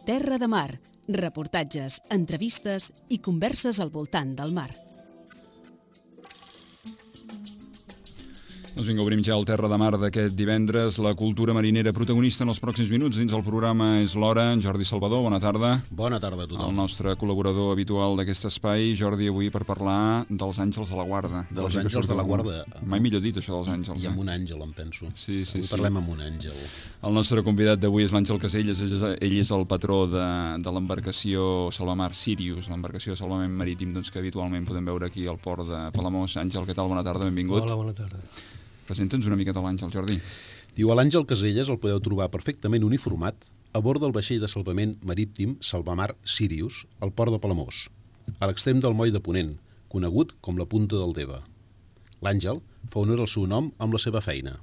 Terra de Mar, reportatges, entrevistes i converses al voltant del mar. Doncs vinga, obrim ja el Terra de Mar d'aquest divendres. La cultura marinera protagonista en els pròxims minuts dins el programa és l'Hora. Jordi Salvador, bona tarda. Bona tarda a tothom. El nostre col·laborador habitual d'aquest espai. Jordi, avui per parlar dels àngels de la guarda. Dels àngels de la guarda. Mai millor dit, això dels àngels. I amb un àngel, em penso. Sí. Avui parlem amb un àngel. El nostre convidat d'avui és l'Àngel Caselles. Ell és el patró de l'embarcació Salvamar Sirius, l'embarcació de salvament marítim que habitualment podem veure aquí al port de Palamós. Àngel, què tal? Bona tarda, benvingut. Hola, bona tarda. Presenta'ns una miqueta l'Àngel, Jordi. Diu, a l'Àngel Caselles el podeu trobar perfectament uniformat a bord del vaixell de salvament marítim Salvamar Sirius, al port de Palamós, a l'extrem del moll de Ponent, conegut com la Punta del Deva. L'Àngel fa honor al seu nom amb la seva feina.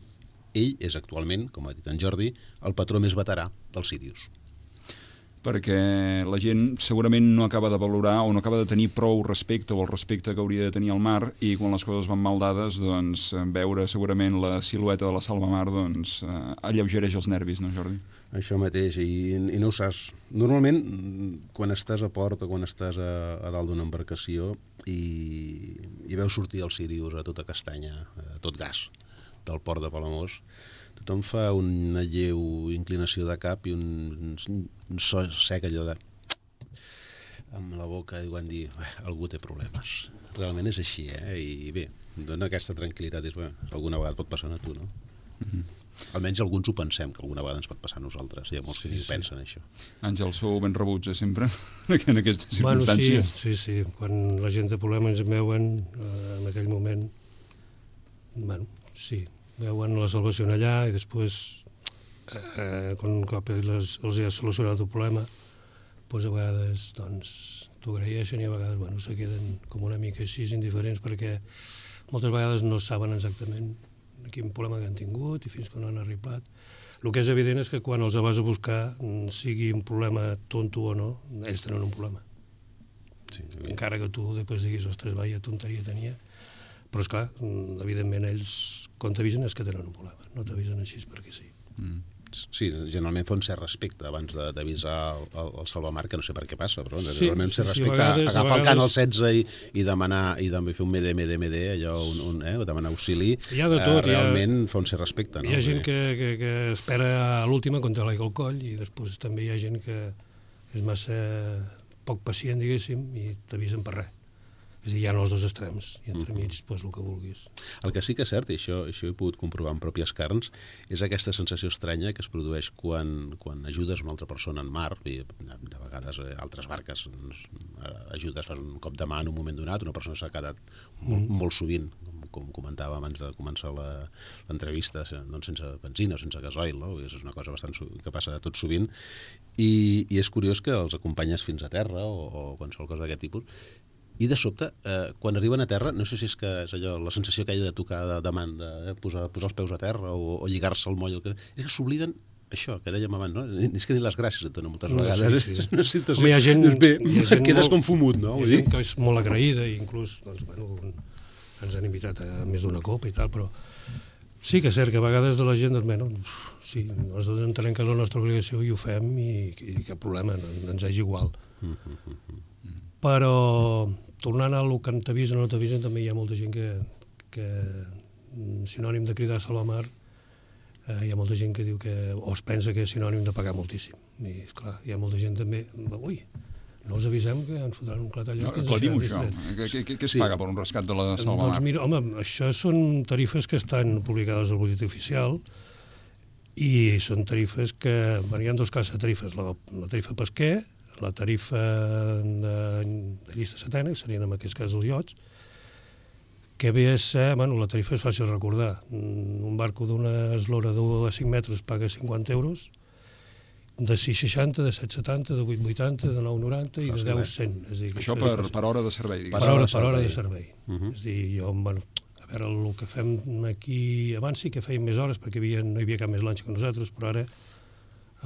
Ell és actualment, com ha dit en Jordi, el patró més veterà del Sirius. Perquè la gent segurament no acaba de valorar o no acaba de tenir prou respecte o el respecte que hauria de tenir al mar, i quan les coses van mal dades, doncs veure segurament la silueta de la Salvamar alleugereix els nervis, no, Jordi? Això mateix, i no ho saps. Normalment, quan estàs a port o quan estàs a dalt d'una embarcació i veus sortir el Sirius a tota castanya, a tot gas, del port de Palamós, tothom fa una lleu inclinació de cap i un so sec, allò de... amb la boca, i quan dir, algú té problemes. Realment és així, I bé, dona aquesta tranquil·litat. Alguna vegada pot passar a tu, no? Almenys alguns ho pensem, que alguna vegada ens pot passar a nosaltres. Hi ha molts que ni ho pensen, això. Àngel, sou ben rebuts, sempre, en aquestes circumstàncies? Sí. Quan la gent té problemes ens veuen, en aquell moment, veuen la salvació allà i després, quan un cop els ha solucionat el problema, doncs a vegades t'ho agraeixen i a vegades se queden com una mica així indiferents, perquè moltes vegades no saben exactament quin problema que han tingut i fins que no han arribat. El que és evident és que quan els vas a buscar, sigui un problema tonto o no, ells tenen un problema. Sí, encara que tu després diguis, ostres, vaya tonteria tenia. Però, esclar, evidentment, ells, quan t'avisen és que tenen un problema. No t'avisen així perquè sí. Sí, generalment fa un cert respecte abans d'avisar el Salvamar, que no sé per què passa, però realment un cert respecte, agafar el cant al 16 i demanar, i també fer un mede, allò, demanar auxili, realment fa un cert respecte. Hi ha gent que espera a l'última quan té l'aigua al coll, i després també hi ha gent que és massa poc pacient, diguéssim, i t'avisen per res. És a dir, hi ha els dos extrems, i entremig, el que vulguis. El que sí que és cert, i això he pogut comprovar en pròpies carns, és aquesta sensació estranya que es produeix quan ajudes una altra persona en mar, i de vegades altres barques ajudes, fas un cop de mà en un moment donat, una persona s'ha quedat molt sovint, com comentava abans de començar l'entrevista, sense benzina o sense gasoil, no? És una cosa que passa tot sovint, i és curiós que els acompanyes fins a terra o qualsevol cosa d'aquest tipus. I de sobte, quan arriben a terra, no sé si és que és allò, la sensació que hi ha de tocar de mà, de posar els peus a terra o lligar-se al moll, és que s'obliden això, que dèiem abans, no? És que ni les gràcies et donen moltes vegades. És una situació... Home, hi ha gent quedes com fumut, no? Hi ha gent que és molt agraïda, i inclús ens han invitat a més d'una copa i tal, però sí que és cert que a vegades de la gent, sí, nosaltres entenem que és la nostra obligació i ho fem, i cap problema, ens és igual. Però tornant a lo que t'avisen o no t'avisen, també hi ha molta gent que sinònim de cridar a Salvamar, hi ha molta gent que diu que o es pensa que és sinònim de pagar moltíssim. I, esclar, hi ha molta gent també, ui, no els avisem que ens fotran un clatallot. Aclarim-ho, això. Què es paga per un rescat de la Salvamar? Doncs mira, home, això són tarifes que estan publicades al butlletí oficial, i són tarifes que... Hi ha dos classes de tarifes, la tarifa pesquer, la tarifa de llista setena, que serien en aquest cas els iots, que ve a ser, la tarifa és fàcil de recordar. Un barco d'una eslora de 5 metres paga 50 euros, de 6,60, de 7,70, de 8,80, de 9,90 i de 10,100. Això per hora de servei, diguem. Per hora de servei. És a dir, jo, a veure, el que fem aquí, abans sí que fèiem més hores, perquè no hi havia cap més lanxa que nosaltres, però ara,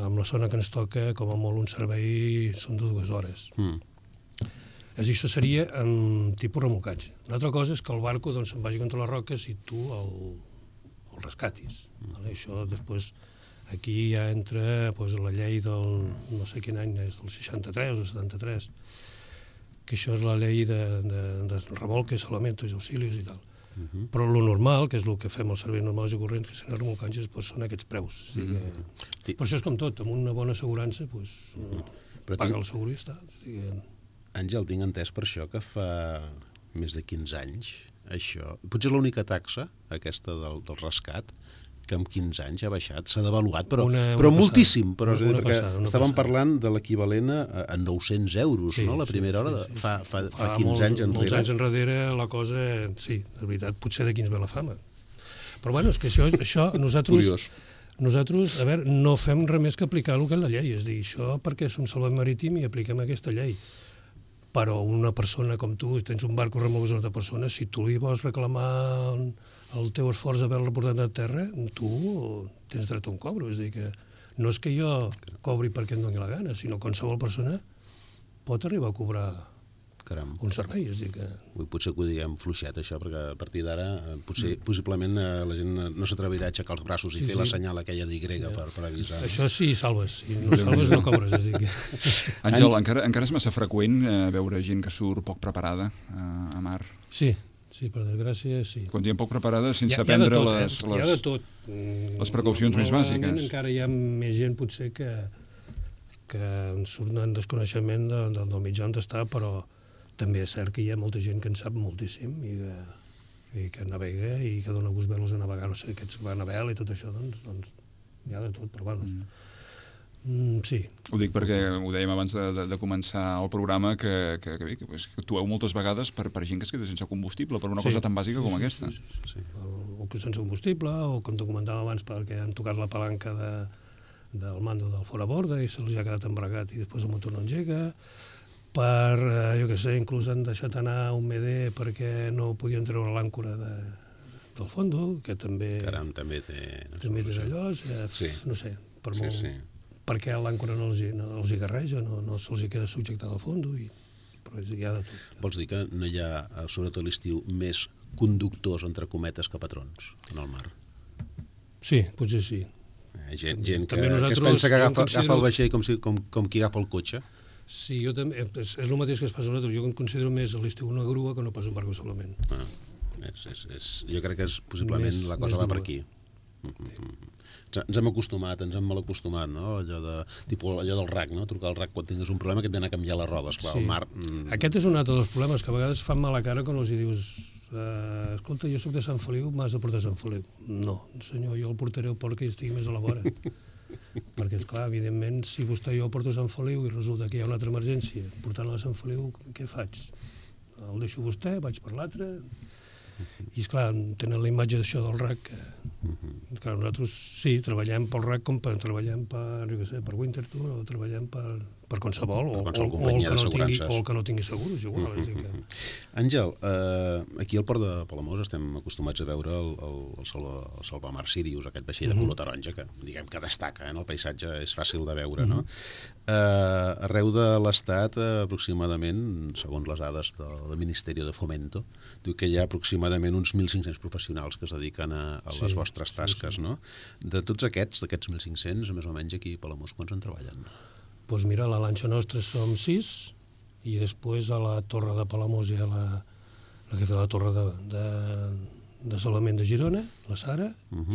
amb la zona que ens toca, com a molt un servei són de 2 hores. És a dir, això seria en tipus remolcatge. Una altra cosa és que el barco se'n vagi contra les roques i tu el rescatis. Això després Aquí ja entra la llei del, no sé quin any és, del 63 o 73, que això és la llei de revolques, salvamentos i auxilios i tal. Però lo normal, que és el que fem els serveis normals i corrents, que són remolcatges, són aquests preus. Per això és com tot, amb una bona assegurança, paga el segur i està. Àngel, tinc entès per això que fa més de 15 anys, això, potser és l'única taxa, aquesta del rescat, que en 15 anys ha baixat, s'ha devaluat, però moltíssim. Perquè estàvem parlant de l'equivalent a 900 euros, no? La primera hora, fa 15 anys enrere. Molts anys enrere la cosa, sí, de veritat, potser d'aquí ens ve la fama. Però bueno, és que això nosaltres, a veure, no fem res més que aplicar el que és la llei, és dir, això perquè som salvament marítim i apliquem aquesta llei. Però una persona com tu, tens un barco remolques una altra persona, si tu li vols reclamar el teu esforç d'haver-lo portat a terra, tu tens dret a un cobro. És a dir, que no és que jo cobri perquè em doni la gana, sinó que qualsevol persona pot arribar a cobrar un servei. És a dir que... Potser que ho diguem fluixet, això, perquè a partir d'ara possiblement la gent no s'atrevirà a aixecar els braços i fer la senyal aquella d'Y per avisar. Això sí, salves. Si no salves, no cobres. És a dir que... Àngel, encara és massa freqüent veure gent que surt poc preparada a mar. Sí, per desgràcia, sí. Quan diem poc preparada, sense prendre les precaucions més bàsiques. Encara hi ha més gent, potser, que surt en desconeixement del mitjà on està, però també és cert que hi ha molta gent que en sap moltíssim i que navega i que dona gust veure-los a navegar, no sé, aquests que van a vela i tot això, doncs hi ha de tot, però bueno... Sí. Ho dic perquè ho dèiem abans de començar el programa que actueu moltes vegades per gent que es queda sense combustible per una cosa tan bàsica com aquesta. O que sense combustible, o com te comentava abans, perquè han tocat la palanca del mando del fora borda i se'ls ha quedat embregat i després el motor no engega, jo què sé, inclús han deixat anar un MD perquè no podien treure l'àncora del fondo, que també... Caram, també té allò, no sé, per molt... perquè l'àncora no els hi garreja, no se'ls hi queda subjectat al fons, però hi ha de tot. Vols dir que no hi ha, sobretot a l'estiu, més conductors, entre cometes, que patrons en el mar? Sí, potser sí. Gent que es pensa que agafa el vaixell com qui agafa el cotxe. Sí, jo també, és el mateix que es passa a nosaltres. Jo em considero més a l'estiu una grua que no pas un barco solament. Jo crec que possiblement la cosa va per aquí. Ens hem acostumat, ens hem mal acostumat, no? Allò del RAC, no? Trucar al RAC quan tingues un problema que et ve a canviar la roba. Esclar, al mar... Aquest és un altre dels problemes, que a vegades fan mala cara quan els dius escolta, jo soc de Sant Feliu, m'has de portar a Sant Feliu. No, senyor, jo el portaré al port que estigui més a la vora. Perquè, esclar, evidentment, si vostè jo el porto a Sant Feliu i resulta que hi ha una altra emergència, portant-lo a Sant Feliu, què faig? El deixo vostè, vaig per l'altre... I, esclar, tenen la imatge d'això del RAC. Clar, nosaltres sí, treballem pel RAC com treballem per Winterthur o treballem per qualsevol, o el que no tingui segur, és igual. Àngel, aquí al port de Palamós estem acostumats a veure el Salvamar Sirius, aquest vaixell de color taronja, que diguem que destaca en el paisatge, és fàcil de veure, no? Arreu de l'Estat, aproximadament, segons les dades del Ministeri de Fomento, diu que hi ha aproximadament uns 1.500 professionals que es dediquen a les vostres tasques, no? De tots aquests 1.500, més o menys aquí a Palamós, quants en treballen? Doncs mira, a la lanxa nostra som 6 i després a la torre de Palamós hi ha la que fa la torre de salvament de Girona, la Sara,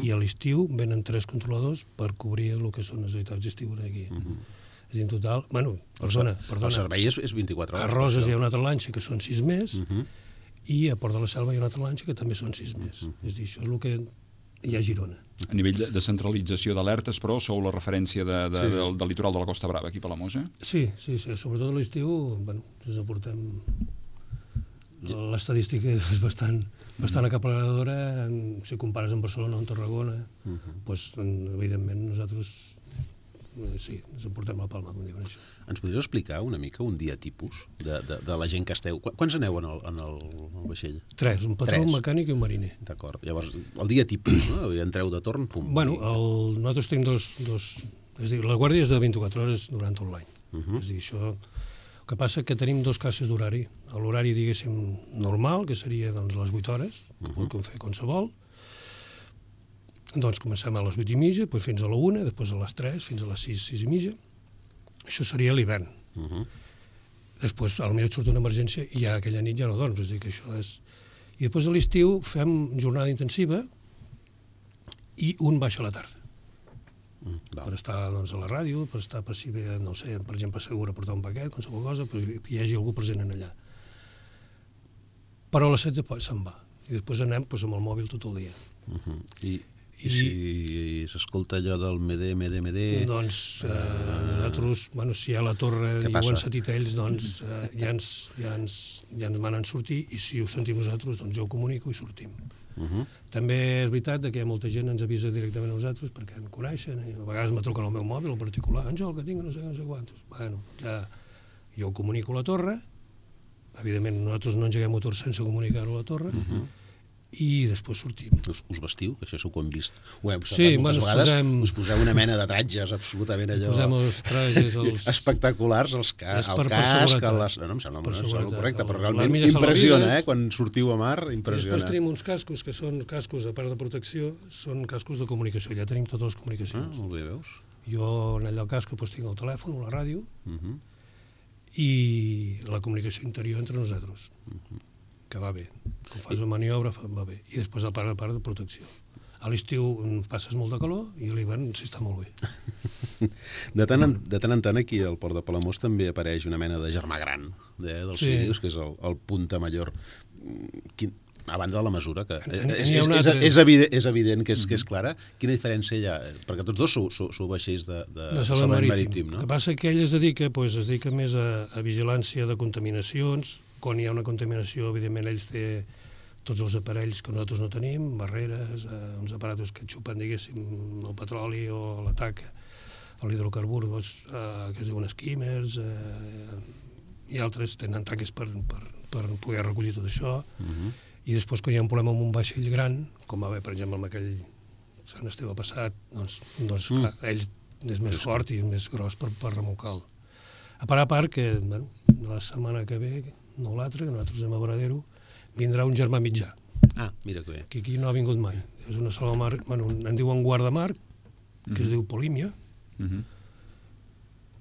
i a l'estiu venen 3 controladors per cobrir el que són les necessitats d'estiu aquí. És a dir, en total... Bueno, perdona. El servei és 24 hores. A Roses hi ha una altra lanxa que són 6 més i a Port de la Selva hi ha una altra lanxa que també són 6 més. És a dir, això és el que hi ha a Girona. A nivell de centralització d'alertes, però, sou la referència del litoral de la Costa Brava, aquí a Palamós, eh? Sí, sobretot a l'estiu, ens aportem... L'estadística és bastant aclaparadora, si compares amb Barcelona o amb Tarragona, doncs, evidentment, nosaltres... Sí, ens emportem la palma, com diuen això. Ens podries explicar una mica un dia tipus de la gent que esteu? Quants aneu en el vaixell? 3, un patró, un mecànic i un mariner. D'acord. Llavors, el dia tipus, no? Entreu de torn, pum. Bueno, nosaltres tenim dos... És a dir, la guàrdia és de 24 hores durant tot l'any. És a dir, això... El que passa que tenim 2 classes d'horari. L'horari, diguéssim, normal, que seria les 8 hores, que pot fer qualsevol, Doncs comencem a les 8:30, després fins a la 1, després a les 3, fins a les 6, 6:30. Això seria l'hivern. Després, potser et surt una emergència i ja aquella nit ja no dorms, és a dir, que això és... I després a l'estiu fem jornada intensiva i un baixa a la tarda. Per estar doncs, a la ràdio, per estar per si ve, no sé, per exemple, segur a portar un paquet, qualsevol cosa, que hi hagi algú present en allà. Però a les 16 se'n va. I després anem doncs, amb el mòbil tot el dia. I si s'escolta allò del MD... Doncs nosaltres, bueno, si hi ha la torre i ho han sentit ells, doncs ja ens manen sortir, i si ho sentim nosaltres, doncs jo ho comunico i sortim. També és veritat que hi ha molta gent que ens avisa directament a nosaltres perquè en coneixen, i a vegades me truquen al meu mòbil en particular, Àngel, que tinc no sé quantos. Bueno, ja jo ho comunico a la torre, evidentment nosaltres no engeguem motor sense comunicar-ho a la torre, i després sortim. Us vestiu? Que això és el que hem vist. Ho hem sí, moltes vegades. Us poseu una mena de tratges absolutament allò... Posem els trajes... espectaculars, el casc, no em sembla correcte, però realment impressiona, quan sortiu a mar, impressiona. Després tenim uns cascos que són cascos, a part de protecció, són cascos de comunicació, ja tenim totes les comunicacions. Molt bé, veus? Jo en allà al casco tinc el telèfon o la ràdio i la comunicació interior entre nosaltres. Que va bé. Quan fas una maniobra va bé. I després a part de protecció. A l'estiu passes molt de calor i a l'hivern s'hi està molt bé. De tant en tant aquí al Port de Palamós també apareix una mena de germà gran dels vídeos, que és el Punta Mayor. A banda de la mesura, que és evident que és clara. Quina diferència hi ha? Perquè tots dos sou vaixells de salvament marítim, no? El que passa que ell es dedica més a vigilància de contaminacions. Quan hi ha una contaminació, evidentment, ells té tots els aparells que nosaltres no tenim, barreres, uns aparatos que xupen, diguéssim, el petroli o la taca, o l'hidrocarbur, que es diuen skimmers, i altres tenen taques per poder recollir tot això. I després, quan hi ha un problema amb un vaixell gran, com va haver, per exemple, amb aquell Sant Esteve passat, doncs clar, ell és més fort i és més gros per remolcar-lo. A part que, la setmana que ve, no l'altre, que nosaltres anem a Varadero, vindrà un germà mitjà. Mira que bé. Que aquí no ha vingut mai. És una salvamar, en diuen guardamar, que es diu Polímia,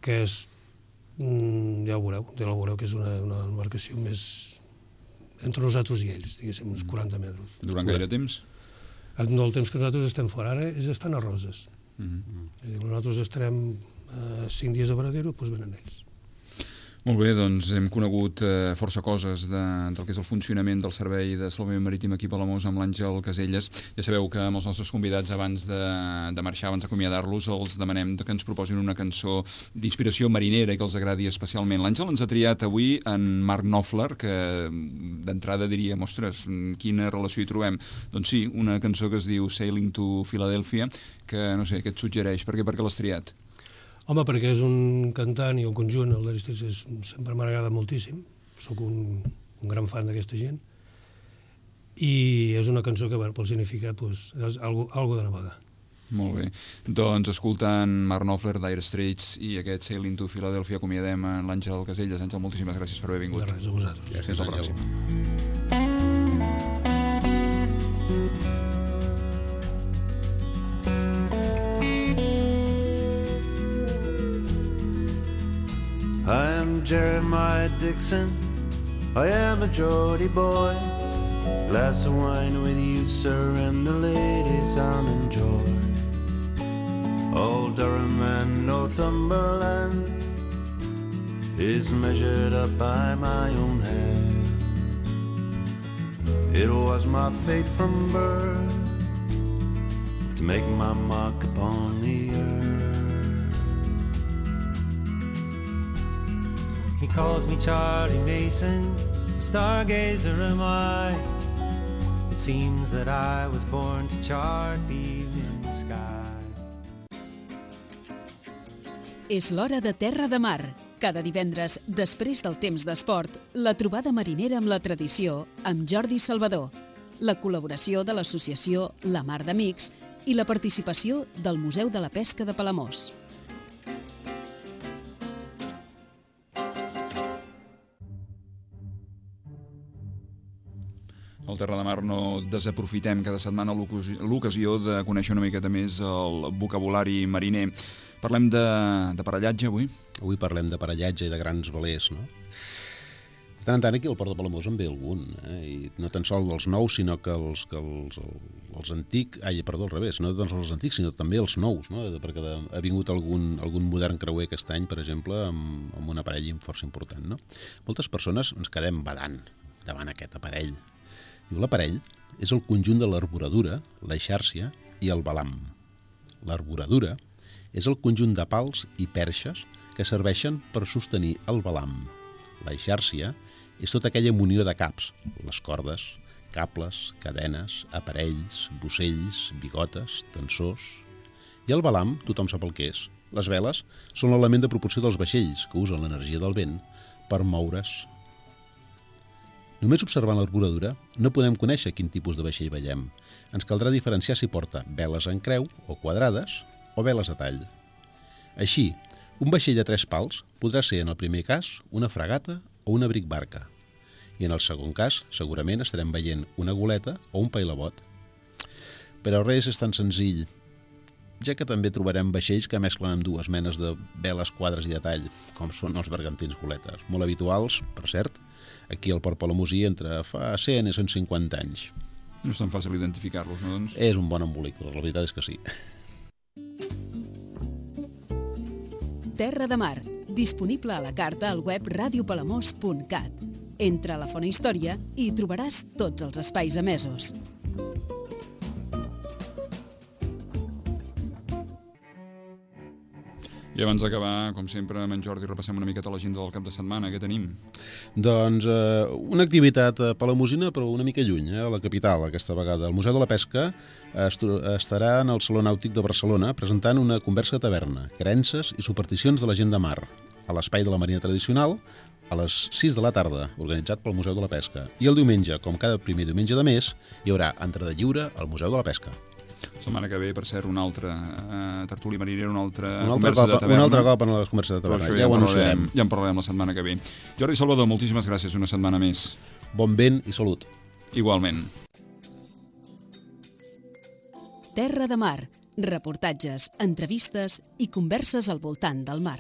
que és, ja ho veureu, que és una embarcació més entre nosaltres i ells, diguéssim, uns 40 metres. Durant gaire temps? No, el temps que nosaltres estem fora ara és estan a Roses. Nosaltres estarem 5 dies a Varadero, doncs venen ells. Molt bé, doncs hem conegut força coses del que és el funcionament del servei de salvament marítim aquí a Palamós amb l'Àngel Caselles. Ja sabeu que amb els nostres convidats abans de marxar, abans d'acomiadar-los, els demanem que ens proposin una cançó d'inspiració marinera i que els agradi especialment. L'Àngel ens ha triat avui en Mark Knopfler, que d'entrada diríem, ostres, quina relació hi trobem? Doncs sí, una cançó que es diu Sailing to Philadelphia, que no sé, què et suggereix? Per què l'has triat? Home, perquè és un cantant i el conjunt, el d'Aristides, sempre m'ha agradat moltíssim. Soc un gran fan d'aquesta gent. I és una cançó que, pel significat, és algo de navegar. Molt bé. Doncs escoltant Mark Knopfler, Dire Straits i aquest Sailing to Philadelphia, acomiadem en l'Àngel Caselles. Àngel, moltíssimes gràcies per haver vingut. De res, a vosaltres. Fins la pròxima. I am Jeremiah Dixon, I am a Geordie boy. Glass of wine with you, sir, and the ladies I'll enjoy. Old Durham and Northumberland is measured up by my own hand. It was my fate from birth to make my mark upon the earth. He calls me Charlie Mason, stargazer am I. It seems that I was born to chart the evening sky. És l'hora de Terra de Mar. Cada divendres, després del temps d'esport, la trobada marinera amb la tradició amb Jordi Salvador, la col·laboració de l'associació La Mar d'Amics i la participació del Museu de la Pesca de Palamós. Al Terra de Mar no desaprofitem cada setmana l'ocasió de conèixer una miqueta més el vocabulari mariner. Parlem de parellatge avui? Avui parlem de parellatge i de grans velers, no? De tant en tant aquí al Port de Palamós en ve algun, i no tan sols dels nous, sinó que els antics... al revés, no tan sols els antics, sinó també els nous, no? Perquè ha vingut algun modern creuer aquest any, per exemple, amb un aparell força important, no? Moltes persones ens quedem badant davant aquest aparell. Diu, l'aparell és el conjunt de l'arboradura, l'eixàrcia i el balam. L'arboradura és el conjunt de pals i perxes que serveixen per sostenir el balam. L'eixàrcia és tota aquella munió de caps, les cordes, cables, cadenes, aparells, bocells, bigotes, tensors. I el balam, tothom sap el que és. Les veles són l'element de propulsió dels vaixells que usen l'energia del vent per moure's. Només observant l'arboradura no podem conèixer quin tipus de vaixell veiem. Ens caldrà diferenciar si porta veles en creu o quadrades o veles de tall. Així, un vaixell de 3 pals podrà ser en el primer cas una fragata o una bricbarca. I en el segon cas segurament estarem veient una goleta o un pailabot. Però res és tan senzill, ja que també trobarem vaixells que mesclen amb dues menes de veles, quadres i de tall, com són els bergantins goletes, molt habituals, per cert, aquí al Port Palamosí entre fa 100 i 150 anys. No és tan fàcil identificar-los, no, doncs? És un bon embolic, la veritat és que sí. Terra de Mar, disponible a la carta al web radiopalamós.cat. Entra a la Fona Història i trobaràs tots els espais emesos. I abans d'acabar, com sempre, amb en Jordi repassem una miqueta l'agenda del cap de setmana. Què tenim? Doncs una activitat palamosina, però una mica lluny, a la capital, aquesta vegada. El Museu de la Pesca estarà en el Saló Nàutic de Barcelona presentant una conversa de taverna, creences i supersticions de la gent de mar, a l'Espai de la Marina Tradicional, a les 6 de la tarda, organitzat pel Museu de la Pesca. I el diumenge, com cada primer diumenge de mes, hi haurà entrada lliure al Museu de la Pesca. La setmana que ve, per cert, una altra tertúlia marinera, una altra conversa de taverna. Un altre cop en les converses de taverna. Ja ho anunciarem. Ja en parlarem la setmana que ve. Jordi Salvador, moltíssimes gràcies una setmana més. Bon vent i salut. Igualment. Terra de Mar. Reportatges, entrevistes i converses al voltant del mar.